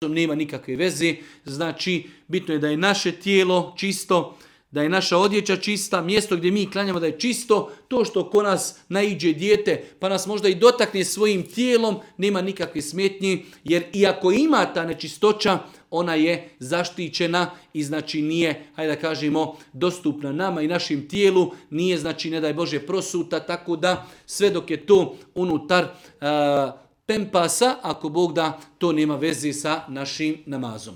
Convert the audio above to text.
nema nikakve veze. Znači, bitno je da je naše tijelo čisto, da je naša odjeća čista, mjesto gdje mi klanjamo da je čisto, to što ko nas naiđe dijete pa nas možda i dotakne svojim tijelom, nema nikakve smetnji, jer iako ima ta nečistoća, ona je zaštićena i znači nije, hajde da kažemo, dostupna nama i našim tijelu, nije znači ne daj Bože prosuta, tako da sve dok je to unutar pempasa, ako Bog da, to nema veze sa našim namazom.